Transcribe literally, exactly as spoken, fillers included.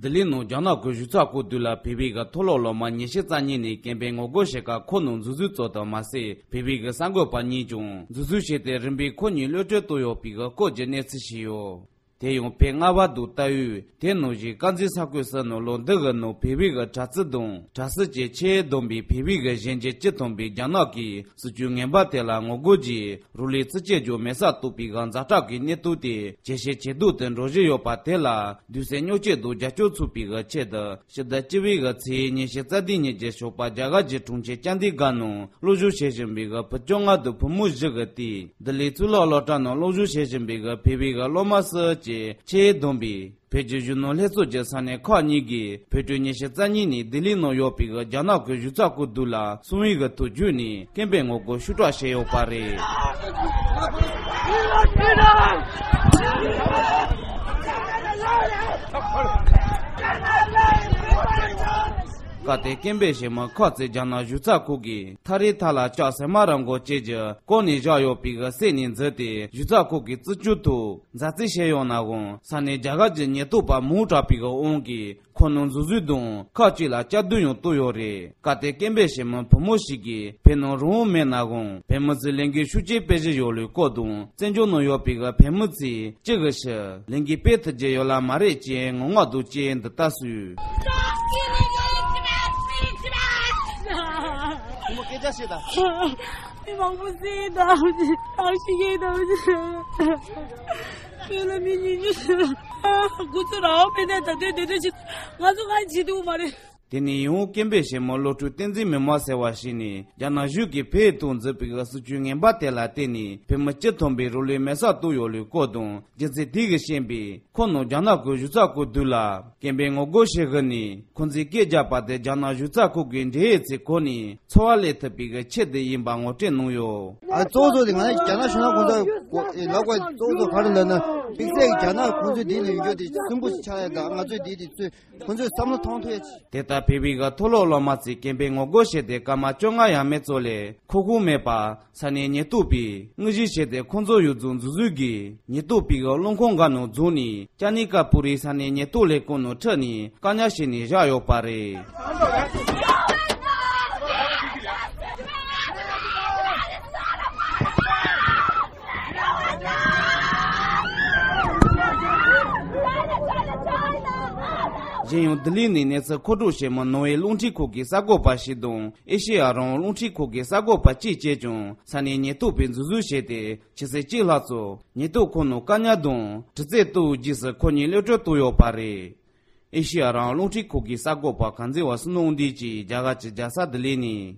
ལྡི་ལི་ནང་རྒྱ་ནག་གི་གཞུང་ཚབ་ཁང་མདུན་ལ་བོད་པའི་གི་མཐོ་སློབ་སློབ་མ་ཉི་ཤུ་རྩ་གཉིས་ནས་སྐད་འབོད་ངོ་རྒོལ་བྱེད་ཁར་ཁོ་ནང་འཛུལ་འཛུལ་ཙམ་དུ་མ་ཟད། བོད་པའི་གི་གསར་འགོད་པ་གཉིས་ཀྱང་འཛུལ་འཛུལ་བྱས་ཏེ་རིམ་པས་ཁོ་གཉིས་གློད་གྲོལ་བཏང་ཡོད་པའི་གི་སྐོར་གྱི་གནས་ཚུལ་ཞིག་ཡོད། དེ་ཡང་བོད་རྔ་བ་དང་རྟའུ། དེ་ནང་བཞིན་དཀར་མཛེས་ས་ཁུལ་སོགས་ནང་ལོ་འདི་གི་ནང་བོད་པའི་གི་དྲག་རྩལ་དང་དྲག་རྩལ་གྱི་ཆེད་བསྡོམས་པའི་བོད་པའི་གི་གཞོན་སྐྱེས་བཅུ་ཐམ་པས་རྒྱ་ནག་གི་སྲིད་བྱུས་ངན་པ་དེ་ལ་ངོ་རྒོལ་གྱིས་རང་ལུས་རྩིས་སྤྲོད་རྒྱུ་མེད་སར་གཏོང་པའི་གི་ཛ་དྲག་གི་གནས་སྟངས་དེ་ཇེ་ཞན་ཇེ་སྡུག་ཏུ་འགྲོ་བཞིན་ཡོད་པ་དེ་ལ་དུས་སུ་སྨྱོ་སྐྱོན་དང་རྒྱབ་སྐྱོར་ཚུགས་པའི་གི་ཆེད་དུ། ཕྱི་ཟླ་བཅུ་པའི་གི་ཚེས་ཉི་ཤུ་རྩ་བདུན་ཉིན་གྱི་ཞོགས་པ་རྒྱ་གར་གྱི་གྲོང་ཁྱེར་ཅན་དི་གྷར་ནང་སློབ་སྦྱོང་བྱེད་བཞིན་པའི་གི་བུ་བཅོ་ལྔ་དང་བུ་མོ་བཞི་གི་སྟེང་ལྡི་ལི་གཙུག་ལག་སློབ་གྲྭ་ནང་སློབ་སྦྱོང་བྱེད་བཞིན་པའི་གི་བོད་པའི་གི་སློབ་མ་སོགས་ཀྱི་ཆེད་བསྡོམས་པའི་བོད་ཀྱི་གཞོན་ནུ་ལྷན་ཚོགས་ཀྱི་ས་གནས་ཁག་གཉིས་ཀྱིས་བོད་ཕྲུག་ཉི་ཤུ་རྩ་གཉིས་ནས་ལྡི་ལི་ནང་ཡོད་པའི་གི་རྒྱ་ནག་གི་གཞུང་ཚབ་ཁང་མདུན་ལ་གསང་བའི་གི་ཐོག་བརྒྱུད་ནས་སྐད་འབོད་ངོ་རྒོལ་ཤུགས་དྲག་བྱས་ཡོད་པ་རེད། སྐབས་དེར་སྐད་འབོད་བྱེད་མི་ཁག་ཅིག་རྒྱ་ནག་གཞུང་ཚབ་ཁང་གིས་ཐག་རིང་ཐག་ལ་ལྕགས་ཟེགས་མ་ར་མགོ་བཅས་ཀྱིས་བསྐོར་ནས་བཞག་ཡོད་པའི་གི་གསེབ་ནས་འཛུལ་ཏེ་གཞུང་ཚབ་ཁང་གི་རྩིས་སྤྲོད་ཐོག་མཛའ་བརྩེ་བྱས་ཡོད་ནའང་ས་གནས་རྒྱ་གར་གྱི་ཉེན་རྟོག་པ་མང་དྲགས་པའི་གི་དབང་གིས་ཁོ་ནང་འཛུལ་འཛུལ་དང་ཁག་ཅིག་ལ་གཅར་རྡུང་ཡང་བཏང་ཡོད་རེད། སྐབས་དེར་སྐད་འབོད་བྱེད་མི་བུ་མོ་ཞིག་གིས་བོད་ནང་རང་དབང་མེད་ནའང་བོད་མི་ཚོས་ལས་འགུལ་ཤུགས་ཆེ་སྤེལ་བཞིན་ཡོད་ལུགས་སྐོར་དང་། བཙན་བྱོལ་ནང་ཡོད་པའི་གི་བོད་མི་ཚོས་ཅི་གི་ཕྱིར་ལས་འགུལ་སྤེལ་ཐུབ་ཀྱི་ཡོད་ལ་མ་རེད་ཅེས་ངུ་ངག་དང་བཅས་འདི་ལྟར་གསུངས། བུ་མོ་སྐད་ཆ་བཤད་དང་། མི་མང་པོ་བསད་དང་། ཐག་ཤི་གེ་དང་། ཁྱོད་ལ་མི་ཉུང་ཉུང་ཞིག །ཁོ་ཚོ་རང་དབང་མེད་ནས་ད་དུང་དེ་འདྲ་ཞིག །ང་ཚོ་གང་བྱེད་ཐུབ་མ་རེད། དེ་ནས་ཡང་སྐད་འབོད་བྱེད་མི་བློ་གྲོས་བསྟན་འཛིན་མི་དམངས་ཟེར་བ་ཞིག་ནས་རྒྱ་ནག་གཞུང་གིས་བོད་ཐོག་འཛུགས་པའི་སྲིད་བྱུས་ངན་པ་དེ་ལ་བརྟེན་ནས་བོད་མི་སྤྱི་ཐམ་པའི་རང་ལུས་མེ་སྲེག་བཏང་ཡོད་ལུགས་སྐོར་དང་། རྒྱུ་མཚན་དེ་གིས་ཤེས་པས་ཁོ་ནང་རྒྱ་ནག་གི་གཞུང་ཚབ་ཁང་མདུན་ལ་སྐད་འབོད་ངོ་རྒོལ་བྱེད་དགོས་ནས་ཁོང་ཚོས་སྐད་རྒྱབ་པ་དེ་རྒྱ་ནག་གཞུང་ཚབ་ཁང་གི་འབྲེལ་ཡོད་ཚོའི་སྒོ་ནས་འཚོ་བ་ལས་ཐུབ་པའི་གི་ཆེད་དུ་ཡིན་པ་ངོ་སྤྲོད་གནང་ཡོད། ཨ་གཙོ་བོ་གཙོ་བོ་དེ་ང་རྒྱ་ནག་གཞུང་ཚབ་ཁང་ཚོ་ལབ་དགོས་གཙོ་བོ་གཙོ་བོ་ག་རེ་ལབ་ན་དམིགས་བསལ་གྱི་རྒྱ་ནག་ཁོང་ཚོའི་དེ་ལ་ཡོད་རྒྱུ་དེ་སུན་པོ་ཞིག་ཆགས་ཡ་དང་ང་ཚོའི་དེ་དེ་ཚོས་ཁོང་ཚོས་བསམ་བློ་གཏོང་ཐུབ་ཡ་ཅིག །དེ་ལྟར་བོད་པའི་གི་མཐོ་སློབ་སློབ་མ་ཚོས་སྐད་འབོད་ངོ་རྒོལ་བྱས་ཏེ་སྐར་མ་བཅོ་ལྔ་ཡས་མས་ཙམ་ལས་ཁོག་ཁོག་མེད་པར་ས་གནས་ཉེན་རྟོག་པས་དངོས་གཞི་བྱས་ཏེ་ཁོང་ཚོ་ཡོངས་རྫོགས་འཛུལ་འཛུལ་གྱིས་ཉེན་རྟོག་པའི་གི་རླངས་འཁོར་འགའ་ནང་འཛུལ་ནས་ཅ་ནི་ཀ་པུ་རིའི་ས་གནས་ཉེན་རྟོག་ལས་ཁུངས་ནང་ཁྲིད་ནས་བཀག་ཉར་བྱས་ནས་བཞག་ཡོད་པ་རེད། གཞན་ཡང་ལྡི་ལི་ནས་གནས་ཚུལ་མཁོ་སྒྲུབ་བྱེད་མི་ནོར་ཝེ་རླུང་འཕྲིན་ཁང་གི་གསར་འགོད་པ་ཞིག་དང་ཨེ་ཤེ་ཡ་རང་དབང་རླུང་འཕྲིན་ཁང་གི་གསར་འགོད་པ་གཅིག་བཅས་ཀྱང་ས་གནས་ཉེན་རྟོག་པས་འཛུལ་འཛུལ་བྱས་ཏེ་ཆུ་ཚོད་གཅིག་ལྷག་ཙམ་ཉེན་རྟོག་ཁང་ནང་བཀག་ཉར་དང་དྲི་རྩད་གཏོང་རྗེས་སུ་ཁོ་གཉིས་གློད་གྲོལ་བཏང་ཡོད་པ་རེད། ཨེ་ཤེ་ཡ་རང་དབང་རླུང་འཕྲིན་ཁང་གི་གསར་འགོད་པ་གངས་འཛིན་བ་སུ་ནོ་འདི་གིས་རྒྱ་གར་གྱི་རྒྱལ་ས་ལྡི་ལི་ནས།